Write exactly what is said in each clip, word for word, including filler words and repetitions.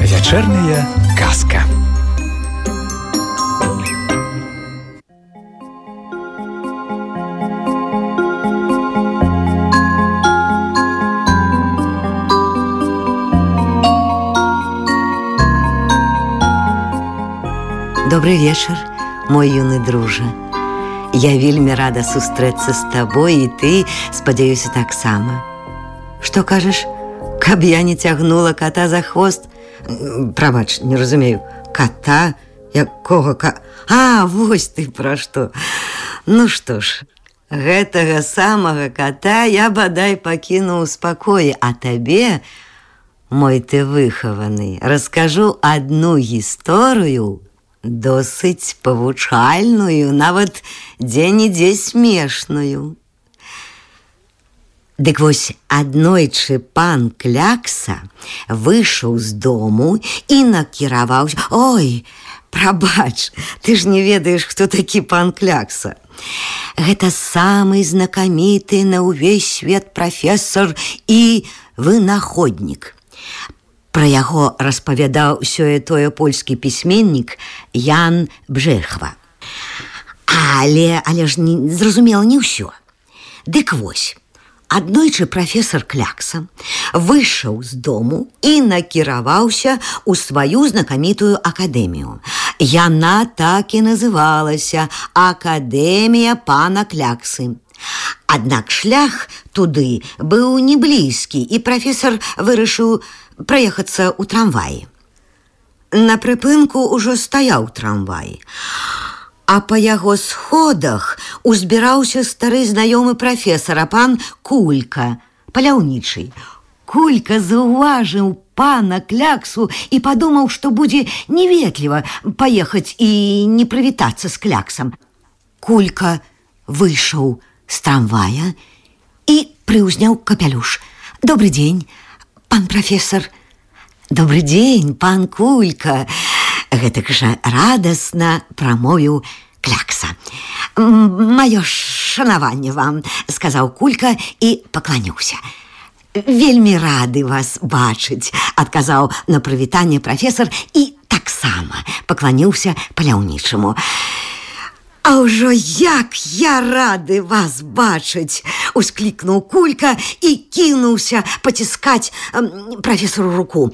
Вечерняя казка. Добрый вечер, мой юный друже. Я вельмі рада сустрэцца з табой, і ты, спадзяюся, таксама. Што кажаш, каб я не цягнула кота за хвост? Прабач, не разумею, кота? Якога ка... А, вось ты пра што. Ну што ж, гэтага самага кота я бадай пакіну ў спакоі, а табе, мой ты выхаваны, раскажу адну гісторыю, досыць павучальную, нават дзе-нідзе смешную. Дык вось аднойчы пан Клякса выйшаў з дому і накіраваўся... Ой, прабач, ты ж не ведаеш, хто такі пан Клякса. Гэта самы знакаміты на ўвесь свет прафесор і вынаходнік. Пра яго распавядаў сёе-тое польскі пісьменнік Ян Бжехва. Але, але ж не, зразумела не ўсё. Дык вось, аднойчы прафесор Клякса выйшаў з дому і накіраваўся ў сваю знакамітую акадэмію. Яна так і называлася Акадэмія пана Кляксы. Аднак шлях туды быў не блізкі, і прафесор вырашыў праехацца ў трамваі. На прыпынку ўжо стаяў трамвай, а па яго сходах узбіраўся стары знаёмы прафесара, пан Кулька, паляўнічы. Кулька заўважыў пана Кляксу і падумаў, што будзе неветліва паехаць і не прывітацца з Кляксам. Кулька выйшаў з трамвая і прыўзняў капялюш. Добрый дзень, пан прафесор. Добрый дзень, пан Кулька. Гэтак жа радасна прамовіў Клякса. Маё шанаванне вам, сказаў Кулька і пакланіўся. Вельмі рады вас бачыць, адказаў на прывітанне прафесор і таксама пакланіўся паляўнічаму. А ўжо як я рады вас бачыць, усклікнуў Кулька і кінуўся паціскаць прафесору руку.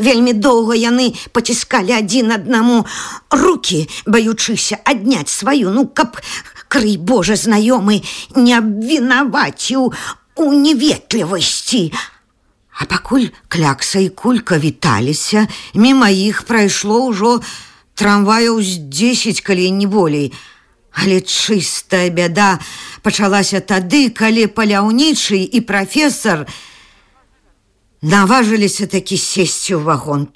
Вельмі доўга яны паціскалі адзін аднаму рукі, баючыся адняць сваю, ну, каб, крый Божа, знаёмы не абвінаваціў у неветлівасці. А пакуль Клякса і Кулька віталіся, міма іх прайшло ўжо трамваяў з дзесяць, калі не болей. Але чыстая бяда пачалася тады, калі паляўнічы і прафесор наважыліся такі сесці ў вагон.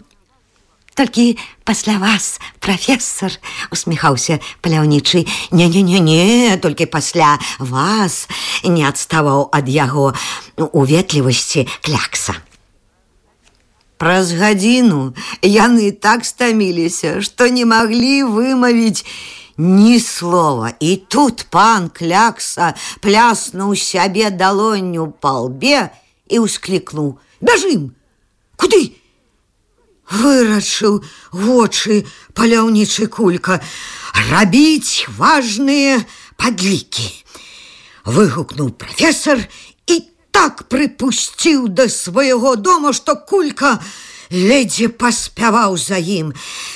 Толькі пасля вас, прафесор, усміхаўся паляўнічы. Не-не-не-не, толькі пасля вас, не адставаў ад яго уветлівасці Клякса. Праз гадзіну яны так стаміліся, што не маглі вымавіць ні слова. І тут пан Клякса пляснуў сябе далонню па лбе і ўсклікнуў: «Бяжым! Куды?» Вырачыў вочы паляўнічы Кулька. «Рабіць важныя падлікі!» Выгукнуў прафесор і так прыпусціў да свайго дома, што Кулька ледзьве паспяваў за ім.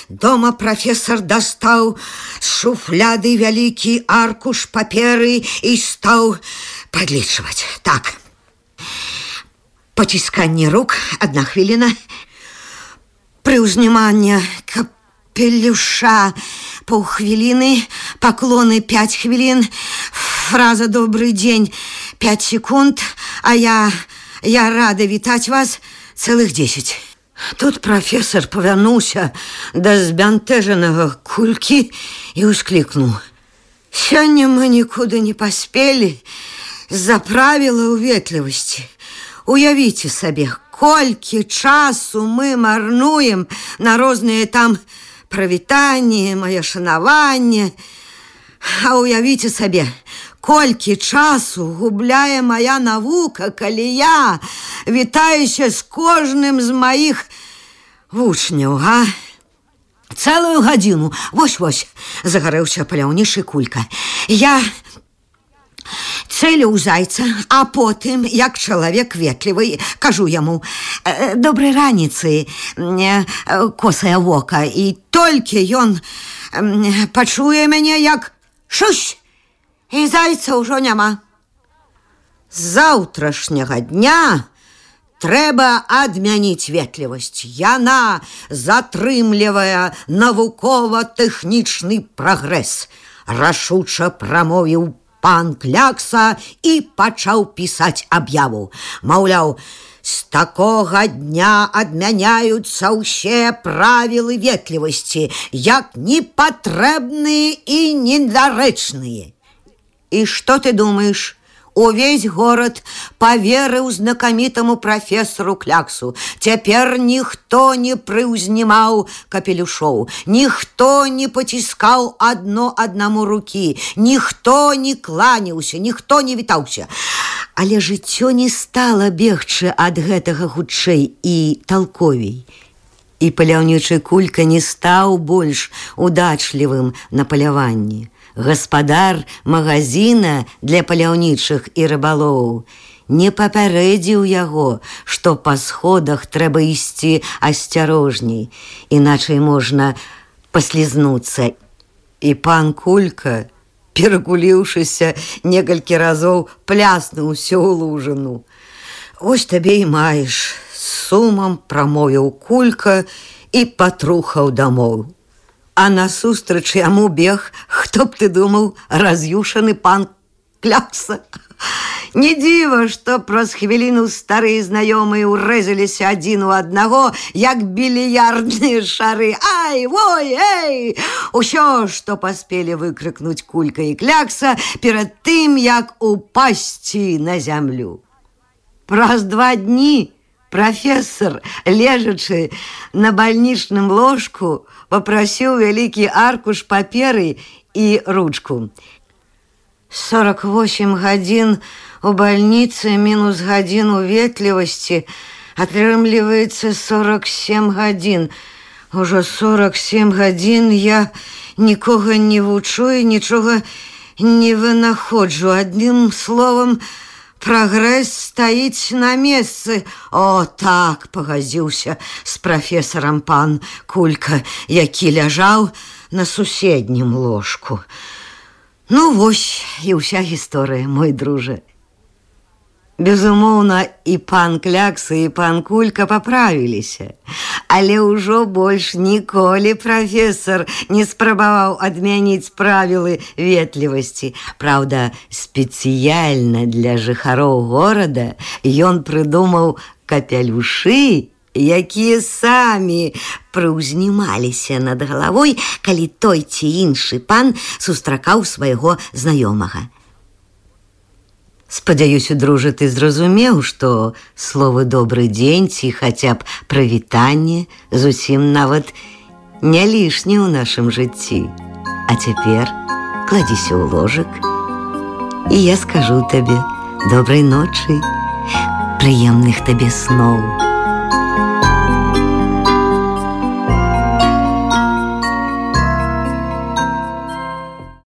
Дома прафесор дастаў з шуфляды вялікі аркуш паперы і стаў падлічваць. Так, пацісканне рук — адна хвіліна, прыўзніманне капелюша — паўхвіліны, паклоны — пяць хвілін, фраза «добрый дзень» — пяць секунд, а я, я рада вітаць вас цэлых дзесяць. Тут прафесор павярнуўся да збянтэжанага Кулькі і ўсклікнуў: «Сёння мы нікуды не паспелі з-за правіла ўветлівасці. Уявіце сабе, колькі часу мы марнуем на розныя там прывітанні, маё шанаванне. А уявіце сабе, колькі часу губляе моя навука, калі я вітаюся з кожным з маіх вучняў, а? Цэлую гадзіну, вось-вось, загарэўся паляўнічы Кулька. Я цэліў зайца, а потым, як чалавек ветлівы, кажу яму: добрай раніцы, косае вока, і толькі ён пачуе мяне, як шусь, і зайца ўжо няма. З заўтрашняга дня трэба адмяніць ветлівасць. Яна затрымлівае навукова-тэхнічны прагрэс, рашуча прамовіў пан Клякса і пачаў пісаць аб'яву. Маўляў, з такога дня адмяняюцца ўсе правілы ветлівасці, як непатрэбныя і недарэчныя. І што ты думаеш? Увесь горад поверыў знакамітаму прафесору Кляксу. Цяпер ніхто не прыўзнімаў капелюшоў, ніхто не паціскаў адно аднаму рукі, ніхто не кланяўся, ніхто не вітаўся. Але жыццё не стала бегчы ад гэтага хутчэй і талковей. І паляўнічы Кулька не стаў больш удачлівым на паляванні. Гаспадар магазина для паляўнічых і рыбалоў не папярэдзіў яго, што па сходах трэба ісці асцярожней, іначай можна паслізнуцца. І пан Кулька, перакуліўшыся некалькі разоў, пляснуўся ў лужыну. Вось табе і маеш, з сумам прамовіў Кулька і патрухаў дамоў. А насустрач яму бег, хто б ты думаў, раз'юшаны пан Клякса. Не дзіва, што праз хвіліну старыя знаёмыя ўрэзаліся адзін у аднаго, як більярдныя шары. Ай, вой, эй! Усё, што паспелі выкрыкнуць Кулька і Клякса перад тым, як упасці на зямлю. Праз два дні прафесор, лежачы на бальнічным ложку, папрасіў вялікі аркуш паперы і ручку. сорок восемь гадзін у бальніцы мінус гадзіну ветлівасці атрымліваецца сорок семь гадзін. Ужо сорок семь гадзін я нікога не вучу і нічога не вынаходжу. Адным словам, прагрэс стаіць на месцы. О, так, пагадзіўся з прафесарам пан Кулька, які ляжаў на суседнім ложку. Ну, вось і ўся гісторыя, мой дружа. Безумоўна, і пан Клякса, і пан Кулька паправіліся, але ўжо больш ніколі прафесор не спрабаваў адмяніць правілы ветлівасці. Праўда, спецыяльна для жыхароў горада ён прыдумаў капелюшы, якія самі прыўзнімаліся над галавой, калі той ці іншы пан сустракаў свайго знаёмага. Спадзяюся, дружа, ты зразумеў, што словы «добры дзень» ці хаця б прывітанне зусім нават не лішне ў нашым жыцці. А цяпер кладзіся ў ложак, і я скажу табе добрай ночы, прыемных табе сноў.